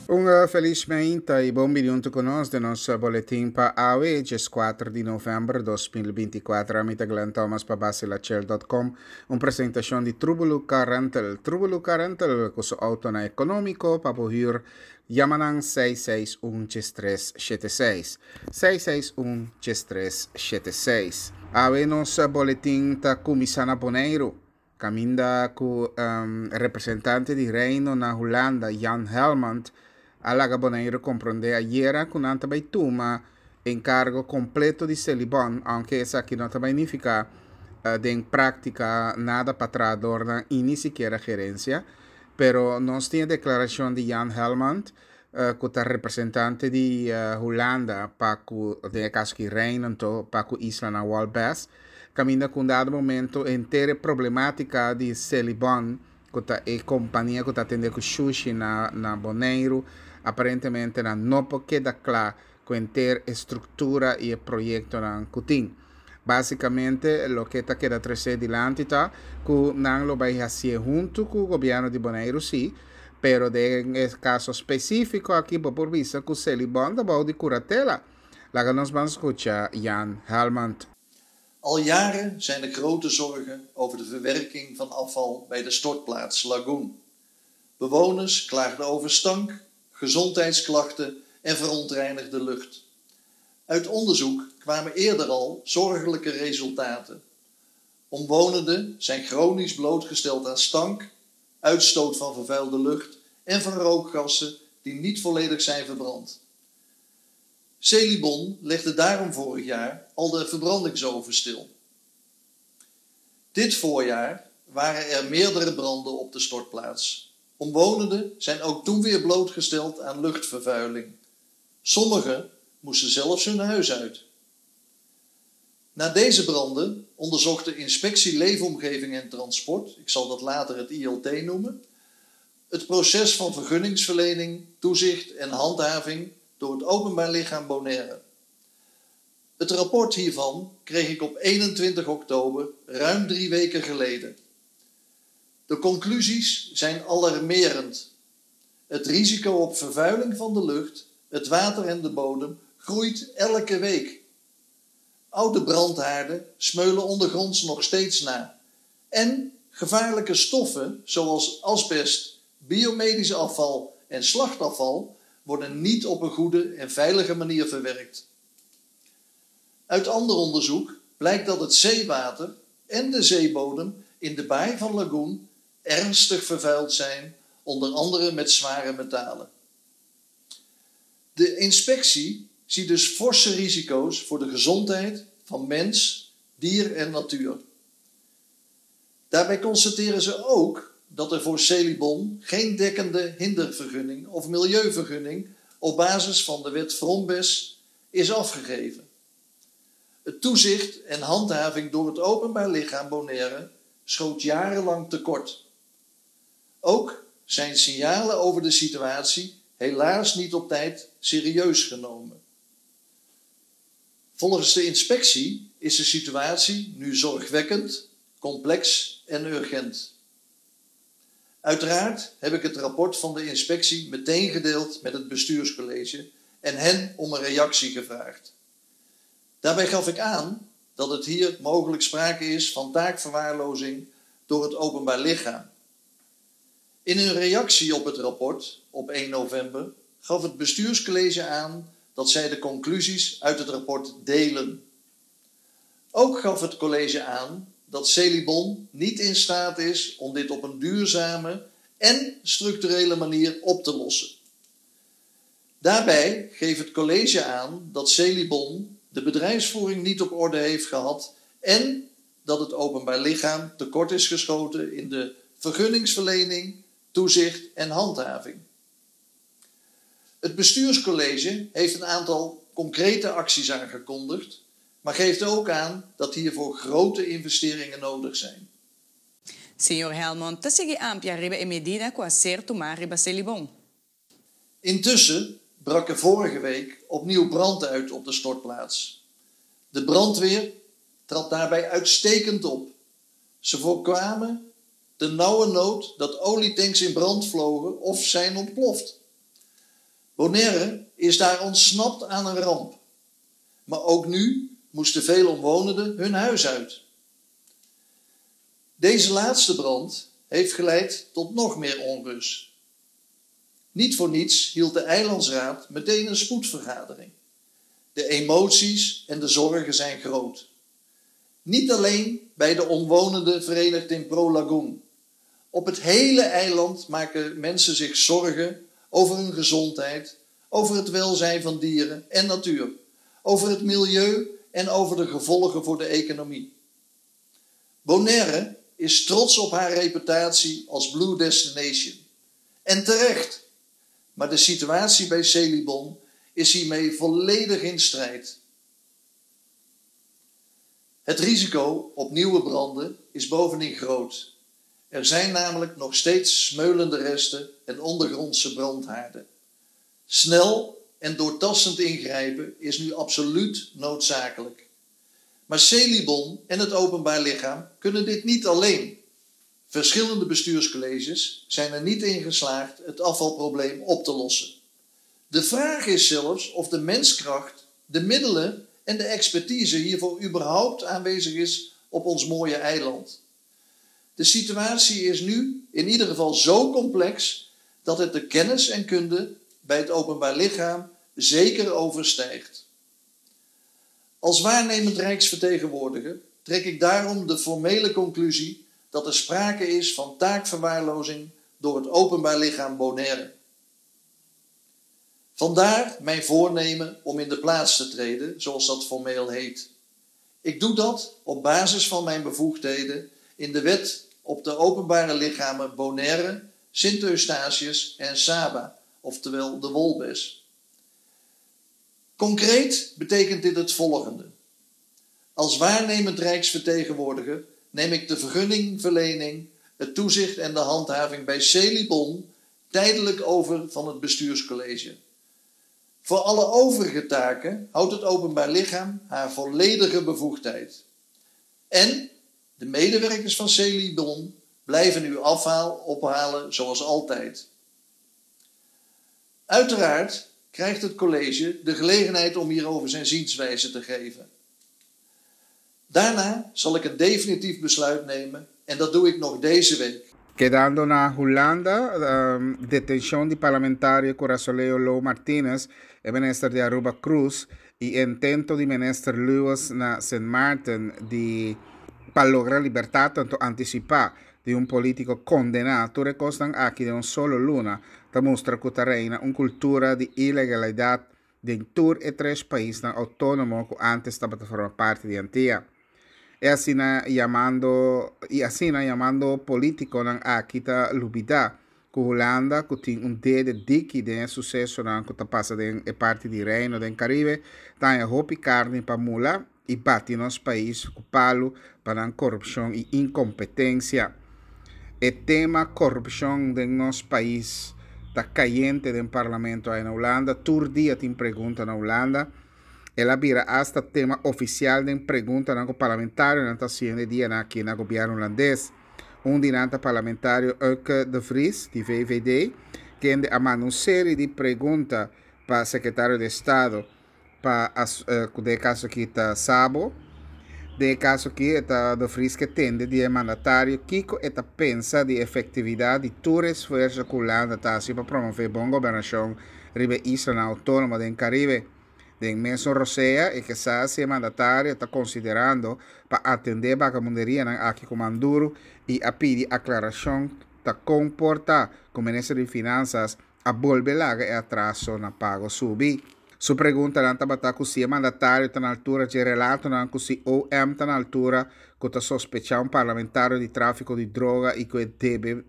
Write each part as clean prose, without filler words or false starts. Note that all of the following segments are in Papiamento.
Un felis meinta i bon bini huntu ku nos den nos boletin pa awe, 14 di novèmber 2024. Ami ta Glenn Thomas pa Basilachel.com. Un presentashon di Trubulu Car Rental. Trubulu Car Rental ku su autonan ekonómiko pa bo hür. Yama nan 661 3376. 661 3376. Awe nos boletin ta kuminsá na Boneiru. Kaminda ku representante di Reino na Hulanda, Jan Helmond, a laga Boneiru komprondé ayera ku nan ta bai tuma enkargo kompleto di Selibon, ounke esaki no ta bai nifiká den práktika nada pa trahadornan i ni sikiera gerensia. Pero nos tin e deklarashon di Jan Helmond, ku ta representante di Hulanda pa ku, den e kaso aki Reino anto, pa ku islanan Walbes, kaminda ku un dado momento henter e problematika di Selibon, ku ta e kompania ku ta atende ku shushi na na Boneiru, aparentemente nan no por keda kla ku henter e struktura i e proyektonan ku tin. Básikamente loke ta keda tresé dilanti ta ku nan lo bai hasié huntu ku gobièrnu di Boneiru sí, pero den e kaso spesífiko aki bo por bisa ku Selibon ta bou di kuratela. Laga nos ban skucha Jan Helmond. Al jaren zijn er grote zorgen over de verwerking van afval bij de stortplaats Lagoen. Bewoners klaagden over stank, gezondheidsklachten en verontreinigde lucht. Uit onderzoek kwamen eerder al zorgelijke resultaten. Omwonenden zijn chronisch blootgesteld aan stank, uitstoot van vervuilde lucht en van rookgassen die niet volledig zijn verbrand. Celibon legde daarom vorig jaar al de verbrandingsoven stil. Dit voorjaar waren er meerdere branden op de stortplaats. Omwonenden zijn ook toen weer blootgesteld aan luchtvervuiling. Sommigen moesten zelfs hun huis uit. Na deze branden onderzocht de Inspectie Leefomgeving en Transport, ik zal dat later het ILT noemen, het proces van vergunningsverlening, toezicht en handhaving door het Openbaar Lichaam Bonaire. Het rapport hiervan kreeg ik op 21 oktober, ruim 3 weken geleden. De conclusies zijn alarmerend. Het risico op vervuiling van de lucht, het water en de bodem groeit elke week. Oude brandhaarden smeulen ondergronds nog steeds na. En gevaarlijke stoffen zoals asbest, biomedisch afval en slachtafval worden niet op een goede en veilige manier verwerkt. Uit ander onderzoek blijkt dat het zeewater en de zeebodem in de baai van Lagoen ernstig vervuild zijn, onder andere met zware metalen. De inspectie ziet dus forse risico's voor de gezondheid van mens, dier en natuur. Daarbij constateren ze ook dat er voor Celibon geen dekkende hindervergunning of milieuvergunning op basis van de wet Vrombes is afgegeven. Het toezicht en handhaving door het Openbaar Lichaam Bonaire schoot jarenlang tekort. Ook zijn signalen over de situatie helaas niet op tijd serieus genomen. Volgens de inspectie is de situatie nu zorgwekkend, complex en urgent. Uiteraard heb ik het rapport van de inspectie meteen gedeeld met het bestuurscollege en hen om een reactie gevraagd. Daarbij gaf ik aan dat het hier mogelijk sprake is van taakverwaarlozing door het openbaar lichaam. In een reactie op het rapport op 1 november gaf het bestuurscollege aan dat zij de conclusies uit het rapport delen. Ook gaf het college aan dat Celibon niet in staat is om dit op een duurzame en structurele manier op te lossen. Daarbij geeft het college aan dat Celibon de bedrijfsvoering niet op orde heeft gehad en dat het openbaar lichaam tekort is geschoten in de vergunningsverlening, toezicht en handhaving. Het bestuurscollege heeft een aantal concrete acties aangekondigd, maar geeft ook aan dat hiervoor grote investeringen nodig zijn. Señor Helmond ta sigui amplia riba e medida ku a ser tumá riba Selibon. Intussen brak er vorige week opnieuw brand uit op de stortplaats. De brandweer trad daarbij uitstekend op. Ze voorkwamen ternauwernood dat olietanks in brand vlogen of zijn ontploft. Bonaire is daar ontsnapt aan een ramp. Maar ook nu moesten veel omwonenden hun huis uit. Deze laatste brand heeft geleid tot nog meer onrust. Niet voor niets hield de Eilandsraad meteen een spoedvergadering. De emoties en de zorgen zijn groot. Niet alleen bij de omwonenden verenigd in Pro Lagoon. Op het hele eiland maken mensen zich zorgen over hun gezondheid, over het welzijn van dieren en natuur, over het milieu en over de gevolgen voor de economie. Bonaire is trots op haar reputatie als Blue Destination. En terecht. Maar de situatie bij Selibon is hiermee volledig in strijd. Het risico op nieuwe branden is bovendien groot. Er zijn namelijk nog steeds smeulende resten en ondergrondse brandhaarden. Snel en doortastend ingrijpen is nu absoluut noodzakelijk. Maar Selibon en het openbaar lichaam kunnen dit niet alleen. Verschillende bestuurscolleges zijn er niet in geslaagd het afvalprobleem op te lossen. De vraag is zelfs of de menskracht, de middelen en de expertise hiervoor überhaupt aanwezig is op ons mooie eiland. De situatie is nu in ieder geval zo complex dat het de kennis en kunde bij het openbaar lichaam zeker overstijgt. Als waarnemend Rijksvertegenwoordiger trek ik daarom de formele conclusie dat er sprake is van taakverwaarlozing door het openbaar lichaam Bonaire. Vandaar mijn voornemen om in de plaats te treden, zoals dat formeel heet. Ik doe dat op basis van mijn bevoegdheden in de wet op de openbare lichamen Bonaire, Sint Eustatius en Saba, oftewel de Wolbes. Concreet betekent dit het volgende. Als waarnemend Rijksvertegenwoordiger neem ik de vergunningverlening, het toezicht en de handhaving bij Selibon tijdelijk over van het bestuurscollege. Voor alle overige taken houdt het openbaar lichaam haar volledige bevoegdheid. En de medewerkers van Selibon blijven uw afhaal ophalen zoals altijd. Uiteraard krijgt het college de gelegenheid om hierover zijn zienswijze te geven. Daarna zal ik een definitief besluit nemen en dat doe ik nog deze week. Kedando na Hulanda, detencion di parlamentario Curasoleo Lo Martinez, e minister di Aruba Cruz y intento di minister Lewis na Sint Maarten di pa logra libertad tanto anticipa di un politico condena. Tur e cosnan aki den un solo luna ta mustra cu ta reina un cultura di ilegalidad den tur e tres paisnan autonomo cu antes tabata forma parti di Antia. E asina yamando y asina yamando politiconan aki ta lubida cu Hulanda cu tin un dede diki den e sucesonan cu ta pasa den e parti di Reino den Caribe ta haña hopi carni pa mula y bati nos pais cu palu pa nan corupcion y incompetencia. E tema corupcion den nos pais ta cayente den parlamento aya na Hulanda. Tur dia tin pregunta na Hulanda. El a bira hasta tema oficial den preguntanan cu parlamentarionan ta haciendo e dianan aki na gobierno Hulandes. Un di nan ta parlamentario Ukke de Vries di VVD, kende a manda un serie di pregunta pa Secretario di Estado pa cu den e caso aki ta Sabo. Den e caso aki e ta De Vries ke tende di e mandatario kico e ta pensa di efectividad di tur e esfuerzo cu Hulanda ta haci pa promove bon gobernacion riba e islanan autonomo den Caribe. Den mesun rosea e ke sa si e mandatario ta considerando pa atende e bagamunderianan aki cu man duro y a pidi aclaracion ta con por ta cu Minister di Finanzas a bolbe laga e atraso na pago subi. Su preguntanan tabata cu si e mandatario ta na altura dje relatonan cu si OM ta na altura cu ta sospecha un parlamentario di trafico di droga y cu e debe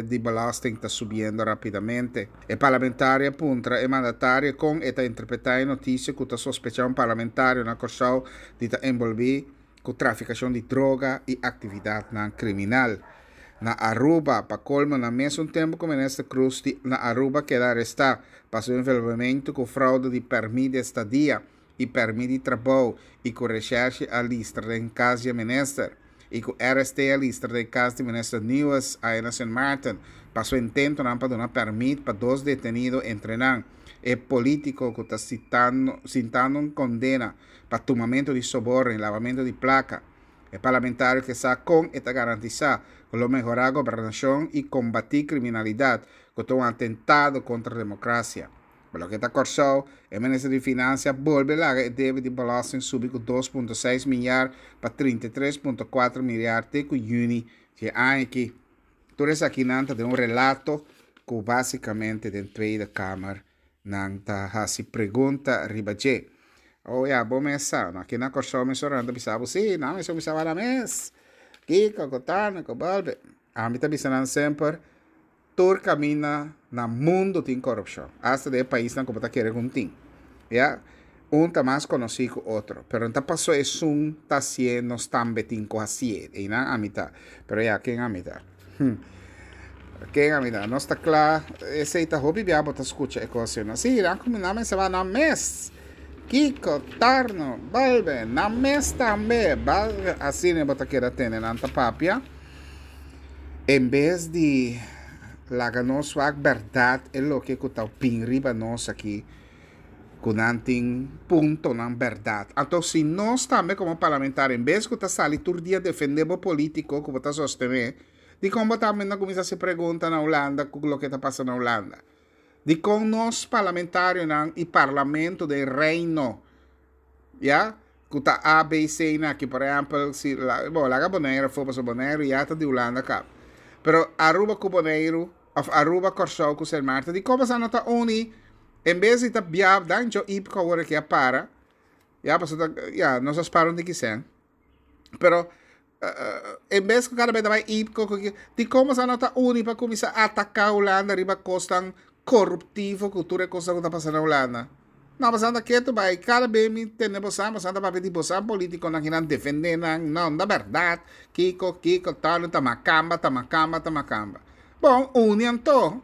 di belasting ta subiendo rapidamente. E parlamentario a puntra e mandatario con e ta interpreta e noticia cu ta sospecha un parlamentario na Corsou di ta enbolbi cu traficacion di droga y actividadnan criminal. Na Aruba, pa colmo na mesun tempo cu Minister Croes di na Aruba keda aresta pa su envolvimento cu fraude di permit di estadia y permit di trabou y cu recherche a listra den cas di e minister. i ku RST a listra den kas di minister Nieuws aya na Sint Maarten pa su intentonan pa duna pèrmit pa dos detenido entre nan e polítiko ku ta sintando un kondena pa tumamentu di soborno i labamentu di plaka. E parlamentario ke sa kon e ta garantisá ku lo mehorá gobernashon i kombatí kriminalidat ku ta un atentado kontra demokrasia. Pa loke ta Kòrsou, e minister di Finansia a bolbe laga e debe di belasting subi ku 2.6 milyar pa 33.4 milyar te ku yüni di e aña aki. Tur esakinan ta den un relato ku básikamente den Tweede Kamer nan ta hasi pregunta riba dje. Oh ya, bo mes sa, no aki na Kòrsou mesora nan ta bisa bo, sí, nan mester bisa bo nan mes. Kiko, ku tano, ku bolbe. Ami ta bisa nan semper, Tur kaminda na mundu tin korupshon, asta den e paisnan ku bo ta kere ku no tin. Ya, un ta mas konosí ku otro, pero no ta paso esun ta hasié nos tambe tin ku hasié. Einan ami ta. Pero ya, ken ami ta? Hm. Ken ami ta? Nos ta kla, esei ta hopi bia bo ta skucha e kos ei. Sí, nan kuminsá mester ba nan mes. Kiko, Tarno, bolbe, nan mes tambe. Asina bo ta keda tende nan ta papia. En bes di laga nos wak bèrdat e loke ku ta bin riba nos aki ku nan tin puntonan bèrdat. Anto si nos tambe komo parlamentario en bes ku ta sali tur dia defendé bo polítiko ku bo ta sostené, dikon bo tambe no kuminsá hasi pregunta na Hulanda ku loke ta pasa na Hulanda? Dikon nos parlamentarionan i parlamento den Reino ya ku ta A, B, C na aki por ehèmpel si bo laga Boneiru afó pasobra Boneiru ya ta di Hulanda kaba pero Aruba ku Boneiru òf Aruba Kòrsou ku Sint Maarten dikon boso no ta uni en bes di ta bia dan djo Ipko awor aki a para ya pasobra ta ya nos a spara un tiki sèn pero en bes ku kada bes ta bai Ipko ku dikon boso no ta uni pa kuminsá ataká Hulanda riba kosnan koruptivo ku tur e kosnan ku ta pasa na Hulanda. No, bosan ta ketu bai. Kada be mi tende bosan, bosan ta papia di bosan politikonan kinan defende nan. No, no ta bèrdat. Kiko, kiko, tal, ta makamba, ta makamba, ta makamba. Bon, uni anto.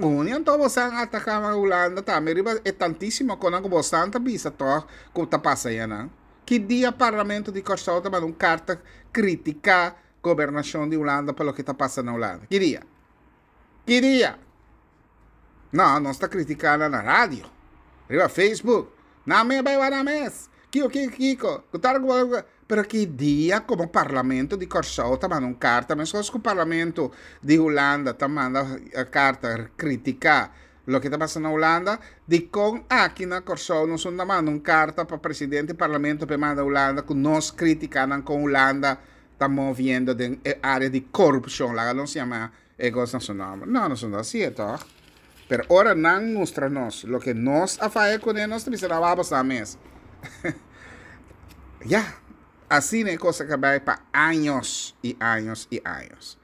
Uni anto bosan ataká Hulanda tambe riba e tantísimo konan ku bosan ta bisa tòg ku ta pasa ayanan. Ki dia Parlamento di Kòrsou ta manda un karta kritiká gobernashon di Hulanda pa loke ta pasa na Hulanda? Ki dia? Ki dia? No, nos ta critica nan na radio, riba Facebook. Nan mes bai wak nan mes. Kiko, kiko, kiko. Ku tal ku Pero ki dia como parlamento di Kòrsou ta manda un karta, meskos ku parlamento di Hulanda ta manda karta critica loke ta pasa na Hulanda, dikon aki na Kòrsou nos no ta manda un karta pa presidente di parlamento pa e manda Hulanda ku nos criticanan kon Hulanda ta moviendo den e area di corupcion, laga nos yama e cos na su nomber. No, nos no ta hacié toch. Pero ora nan mustra nos loke nos a faya cune, nos ta bisa nan wak boso mes. Ya, asina e cos a cabay pa años y años y años.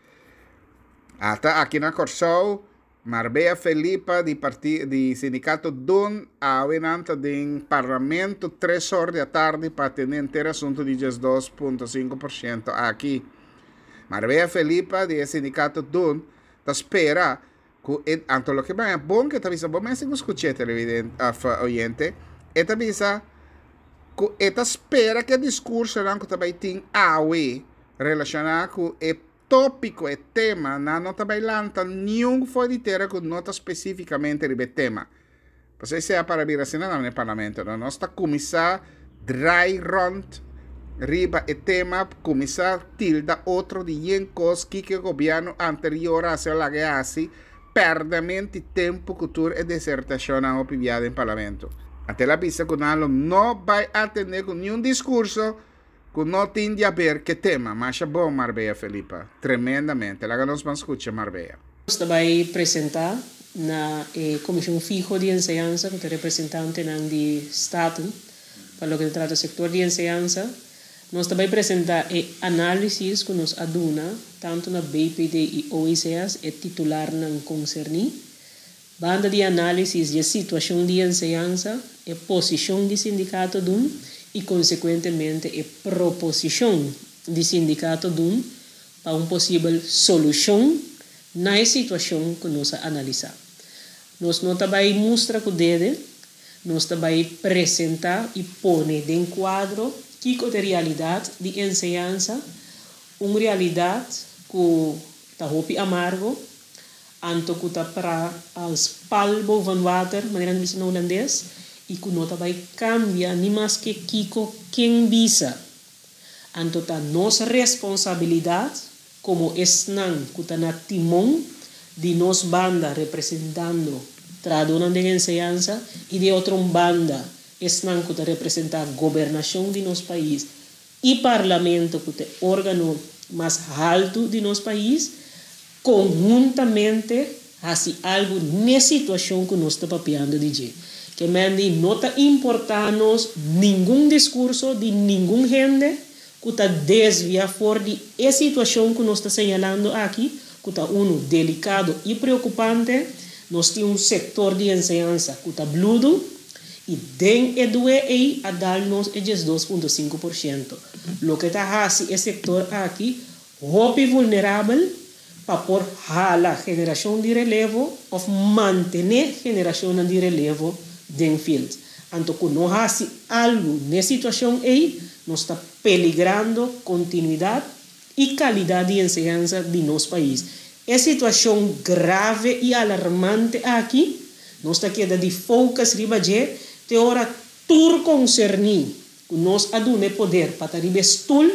Ata aki na Corsou, Marbella Felipa di parti di sindicato Dun awe nan ta den parlamento tres or di atardi pa atende henter asunto di 12.5% aki. Marbella Felipa di e sindicato Dun ta spera cu e anto loke baña bon ke ta bisa bo mester cu scuche televidente of oyente e ta bisa cu e ta spera cu e discursonan cu ta bay tin awe relaciona cu e Tópiko, e tema, nan no ta bai lanta niun for di tera ku no ta spesífikamente riba e tema. Pasobra esei a para bira asina nan den parlamento, no? Nos ta kuminsá drai rònt riba e tema, kuminsá tilda otro di yen kos, kiko e gobièrnu anterior a hasi o laga e hasi, pèrdèment di tempu ku tur e desertashonnan hopi bia den parlamento. Anto el a bisa ku nan lo no bai atendé ku niun diskurso Cu no tin di haber ke tema. Masha bon Marbella Felipa. Tremendamente. Laga nos ban scucha Marbella. Nos ta bai presentá na e Komishon Fiho di Enseñansa ku ta representantenan di Staten pa loke ta trata sektor di enseñansa. Nos ta bai presentá e análisis ku nos a duna tantu na BPD i OECS, e titularnan konserní. Banda di análisis di e situashon di enseñansa, e posishon di sindikato dun i konsekuentemente e proposishon di sindikato dun pa un posibel solushon na e situashon ku nos a analisá. Nos no ta bai mustra ku dede, nos ta bai presentá i pone den kuadro kiko ta e realidat di enseñansa. Un realidat ku ta hopi amargo, anto ku ta para als paal boven water, manera nan bisa na hulandes, i ku no ta bai kambia ni maske kiko ken bisa. Anto ta nos responsabilidat komo esnan ku ta na timon di nos banda representando trahadónan den enseñansa i di otro un banda esnan ku ta representá gobernashon di nos pais i Parlamento ku ta e órgano mas haltu di nos pais, konhuntamente hasi algu n'e situashon ku nos ta papiando di dje. Ke men di no ta importá nos ningun diskurso di ningun hende ku ta desvia for di e situashon ku nos ta señalando aki, ku ta unu delikado i preokupante. Nos tin un sektor di enseñansa ku ta bludu i den e due ei a dal nos e 12.5%, loke ta hasi e sektor aki hopi vulnerabel pa por hala generashon di relevo òf mantené generashonnan di relevo den field. Anto ku no hasi algu n'e situashon ei, nos ta peligrando kontinuidat i kalidat di enseñansa di nos pais. E situashon grave i alarmante aki, nos ta keda di focus riba dje te ora tur konserní ku nos a duna e poder pa ta riba e stul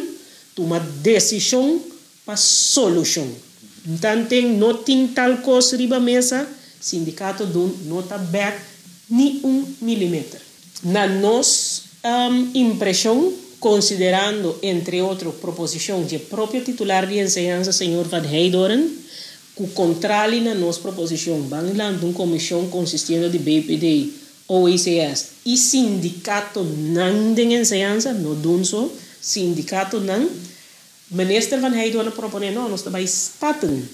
tuma desishon pa solushon. Tanten no tin tal kos riba mesa, sindikato dun no ta bèk ni un milimeter. Na nos impreshon, konsiderando entre otro proposishon dje propio titular di enseñansa señor Van Heydoorn, ku kontrali na nos proposishon ban lanta un komishon konsistiendo di BPD, OECS i sindikatonan den enseñansa, no dun so, sindikatonan, Minister Van Heydoorn a proponé, no, nos ta bai Staten.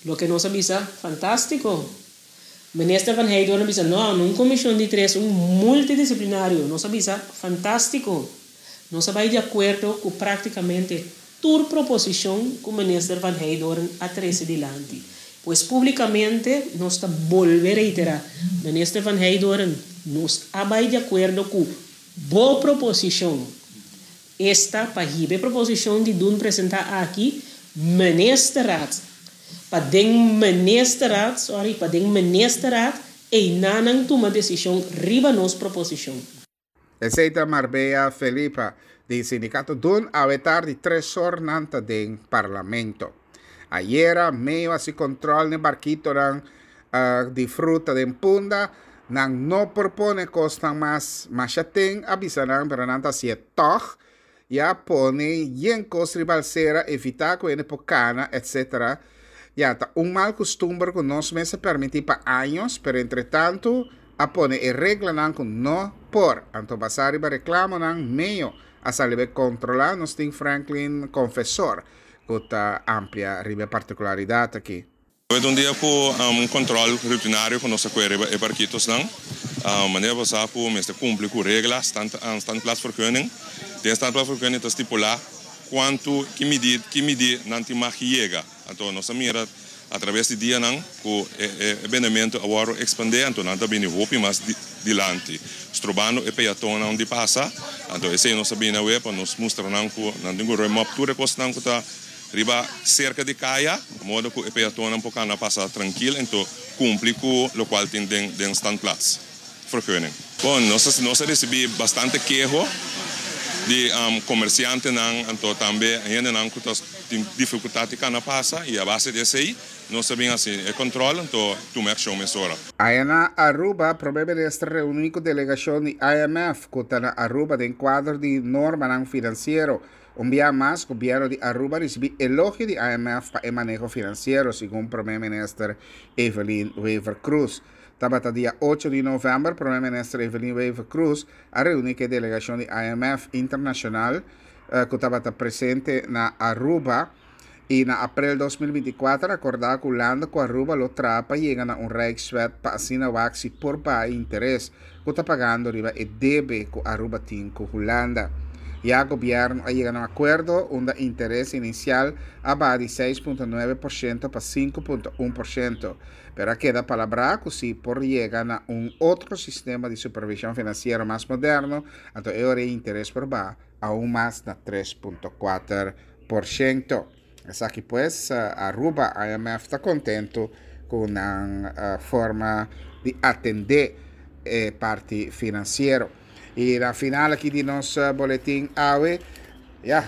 Loke nos a bisa, fantástiko. Minister Van Heydoorn a bisa, no, no un komishon di tres, un multidisiplinario. Nos a bisa, fantástiko. Nos a bai di akuerdo ku práktikamente tur proposishon ku Minister Van Heydoorn a trese dilanti. Pues públikamente nos ta bolbe reiterá, Minister Van Heydoorn, nos a bai di akuerdo ku bo proposishon. Esta pa hiba e proposishon di dun presentá aki Ministerraad. Pa den Ministerraad, sorry, pa den Ministerraad einanan tuma desishon riba nos proposishon. Esei ta Marbella Felipa di Sindicato Dun awe tardi tres or nan ta den Parlamento. Ayera meyo hasi control n'e barkitonan di fruta den Punda, nan no por pone kosnan mas, masha ten a bisa nan pero nan ta hasié tòg, ya pone yen kos riba alsera, evitá ku hende por kana etc. Ya ta un mal kustumber ku nos mes a permití pa años pero entretantu a pone e reglanan ku no por, anto basá riba reklamonan meyo a sali bai kontrolá, nos tin Franklin Confesor ku ta amplia riba e partikularidat aki. Awe ta un dia ku un kòntròl rutinario ku nos a kue riba e barkitosnan. Manera bo sa ku mester kumpli ku regla, standplaatsvergunning. Den standplaatsvergunning ta stipulá kuantu, ki midi, ki midi nan tin mag yega. Anto nos a mira atraves di dianan ku e bendementu a wòrdu ekspandé, anto nan ta bini hopi mas dilanti, strobando e peatonnan di pasa. Anto esei nos a bini awe pa nos mustra nan ku nan tin ku ruim op tur e kosnan ku ta Riba serka di kaya, modo ku e peatonnan por kana pasa trankil ento kumpli ku lokual tin den den standplaats vergunning. Bon, nos a nos a risibí bastante keho di komersiantenan anto tambe hendenan ku ta tin difikultat di kana pasa i a base di esei nos a bin hasi e kòntròl anto tuma e akshon mesora. Aya na Aruba, Prome Minister reuní ku delegashon di IMF ku ta na Aruba den kuadro di normanan finansiero. Un bia mas, gobierno di Aruba ricibi elogio di IMF pa e maneho financiero, segun Prome Minister Evelyn Wever-Croes. Tabata dia ocho di november, Prome Minister Evelyn Wever-Croes a reuni cu e delegacion di IMF internacional cu tabata presente na Aruba y na april 2024 a acorda cu Hulanda cu Aruba lo traha pa yega na un Rijkswet pa asina wak si por baha e interes cu ta pagando riba e debe cu Aruba tin cu Hulanda. Ya gobierno a yega na un acuerdo unda interes inicial a baha di 6.9% pa 5.1%, pero a keda palabrá cu si por yega na un otro sistema di supervision financiero mas moderno, anto e ora e interes por baha aun mas na 3.4%. Porshento. Esaki pues Aruba IMF ta contento cu nan forma di atende e parti financiero. Y na final aki di nos boletin awe, ya,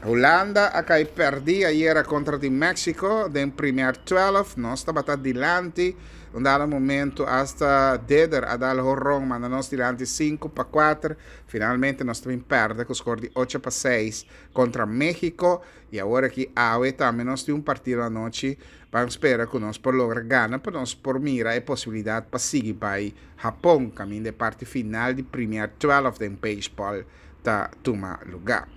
Hulanda a cay perdi ayera contra di Mexico den primer 12. Nos tabata dilanti un dado momento hasta Deder a dal horon manda nos dilanti 5-4. Finalmente nos ta bin perde cu score di 8-6 contra Mexico y awor aki awe tambe nos tin un partido anochi. Ban spera cu nos por logra gana pa nos por mira e posibilidad pa sigui bay Japon caminda e parti final di primer 12 den baseball ta tuma luga.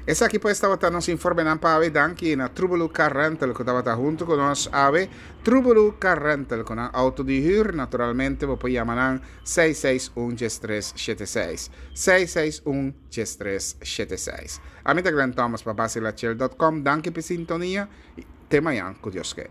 Esaki pues tabata nos informenan pa awe. Danki na Trubelu Car Rental cu tabata hunto cu nos awe. Trubelu Car Rental cu nan auto di huur naturalmente bo por yama nan 661 1376. 661 1376. Ami ta Glenn Thomas pa Basilachel dot com. Danki p'e sintonia y te mañan cu Dios ke.